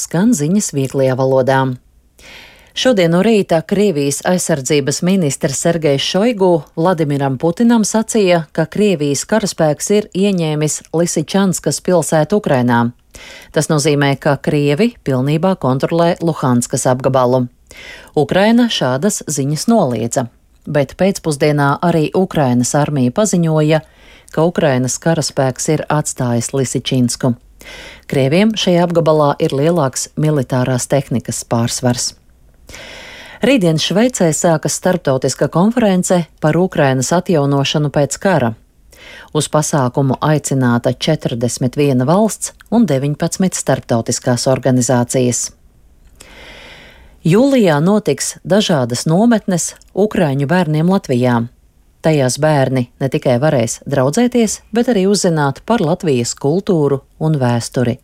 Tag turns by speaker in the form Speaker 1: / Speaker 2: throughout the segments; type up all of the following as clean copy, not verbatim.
Speaker 1: Skan ziņas vieglajā valodā. Šodien no rīta Krievijas aizsardzības ministrs Sergejs Šoigu Vladimiram Putinam sacīja, ka Krievijas karaspēks ir ieņēmis Lisičanskas pilsētu Ukrainā. Tas nozīmē, ka Krievi pilnībā kontrolē Luhanskas apgabalu. Ukraina šādas ziņas noliedza, bet pēcpusdienā arī Ukrainas armija paziņoja, ka Ukrainas karaspēks ir atstājis Lisičinsku. Krieviem šajā apgabalā ir lielāks militārās tehnikas pārsvars. Rītdien Šveicē sākas starptautiska konference par Ukrainas atjaunošanu pēc kara. Uz pasākumu aicināta 41 valsts un 19 starptautiskās organizācijas. Jūlijā notiks dažādas nometnes ukraiņu bērniem Latvijā. Tajās bērni ne tikai varēs draudzēties, bet arī uzzināt par Latvijas kultūru un vēsturi.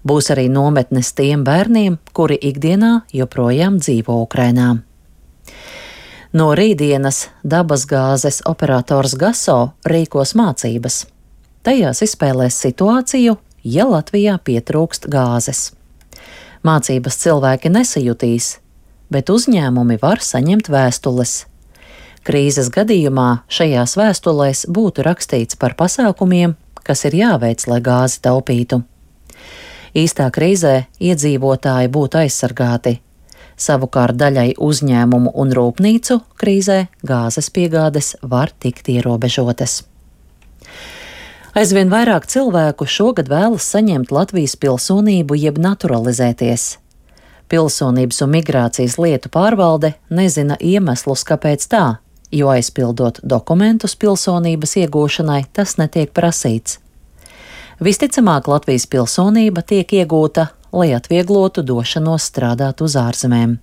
Speaker 1: Būs arī nometnes tiem bērniem, kuri ikdienā joprojām dzīvo Ukrainā. No rītdienas dabasgāzes operators Gaso rīkos mācības. Tajās izspēlēs situāciju, ja Latvijā pietrūkst gāzes. Mācības cilvēki nesajutīs, bet uzņēmumi var saņemt vēstules. Krīzes gadījumā šajās vēstulēs būtu rakstīts par pasākumiem, kas ir jāveic, lai gāzi taupītu. Īstā krīzē iedzīvotāji būtu aizsargāti. Savukārt daļai uzņēmumu un rūpnīcu krīzē gāzes piegādes var tikt ierobežotas. Aizvien vairāk cilvēku šogad vēlas saņemt Latvijas pilsonību jeb naturalizēties. Pilsonības un migrācijas lietu pārvalde nezina iemeslus, kāpēc tā, jo aizpildot dokumentus pilsonības iegūšanai tas netiek prasīts. Visticamāk, Latvijas pilsonība tiek iegūta, lai atvieglotu došanos strādāt uz ārzemēm.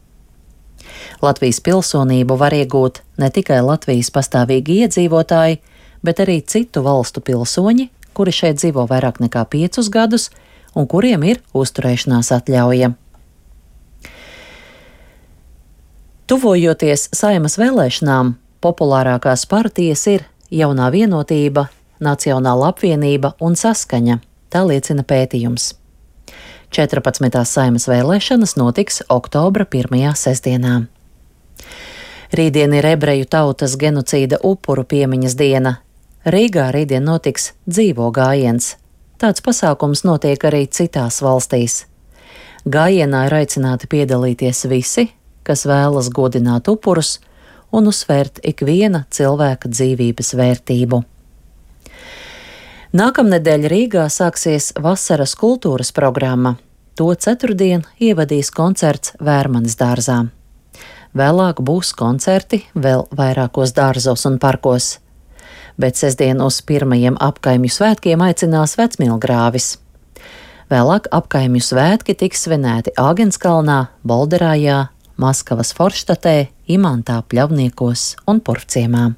Speaker 1: Latvijas pilsonību var iegūt ne tikai Latvijas pastāvīgi iedzīvotāji, bet arī citu valstu pilsoņi, kuri šeit dzīvo vairāk nekā 5 gadus un kuriem ir uzturēšanās atļauja. Tuvojoties Saeimas vēlēšanām, populārākās partijas ir Jaunā vienotība, Nacionāla apvienība un Saskaņa, tā liecina pētījums. 14. Saeimas vēlēšanas notiks oktobra 1. sestdienā. Rītdien ir ebreju tautas genocīda upuru piemiņas diena. Rīgā rītdien notiks dzīvo gājiens. Tāds pasākums notiek arī citās valstīs. Gājienā ir aicināti piedalīties visi, kas vēlas godināt upurus un uzsvērt ikviena cilvēka dzīvības vērtību. Nākamnedēļ Rīgā sāksies vasaras kultūras programma. To ceturtdien ievadīs koncerts Vērmanes dārzā. Vēlāk būs koncerti vēl vairākos dārzos un parkos. Bet sestdien uz pirmajiem apkaimju svētkiem aicinās Vecmilgrāvis. Vēlāk apkaimju svētki tiks svinēti Āgenskalnā, Bolderājā, Maskavas Forštatē, Imantā, Pļavniekos un Purvciemā.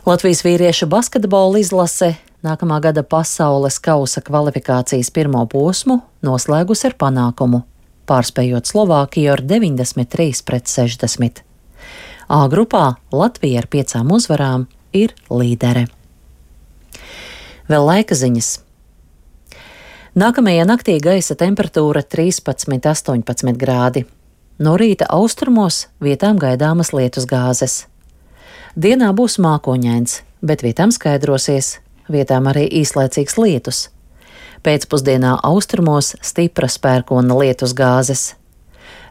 Speaker 1: Latvijas vīriešu basketbola izlase nākamā gada pasaules kausa kvalifikācijas pirmo posmu noslēgus ar panākumu, pārspējot Slovākiju ar 93-60. A grupā Latvija ar 5 uzvarām ir līdere. Vēl laika ziņas. Nākamajā naktī gaisa temperatūra 13–18 grādi. No rīta austrumos vietām gaidāmas lietus gāzes. Dienā būs mākoņains, bet vietām skaidrosies, vietām arī īslaicīgs lietus. Pēcpusdienā austrumos stipras pērkona lietus gāzes.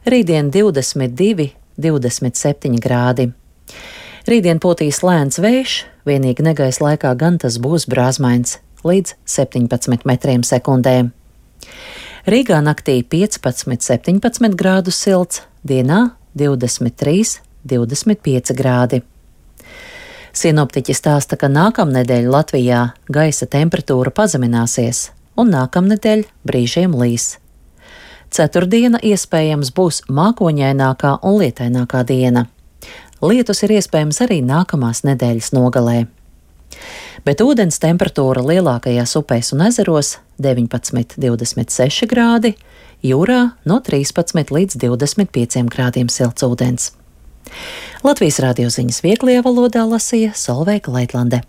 Speaker 1: Rītdien 22–27 grādi. Rītdien pūtīs lēns vējš, vienīgi negaisa laikā gan tas būs brāzmains, līdz 17 metriem sekundē. Rīgā naktī 15–17 grādus silts, dienā 23–25 grādi. Sinoptiķi stāsta, ka nākamnedēļ Latvijā gaisa temperatūra pazemināsies un nākamnedēļ brīžiem līs. Ceturtdiena iespējams būs mākoņainākā un lietainākā diena. Lietus ir iespējams arī nākamās nedēļas nogalē. Bet ūdens temperatūra lielākajās upēs un ezeros 19–26 grādi, jūrā no 13 līdz 25 grādiem silts ūdens. Latvijas radio ziņas vieglajā valodā lasīja Solveiga Leitlande.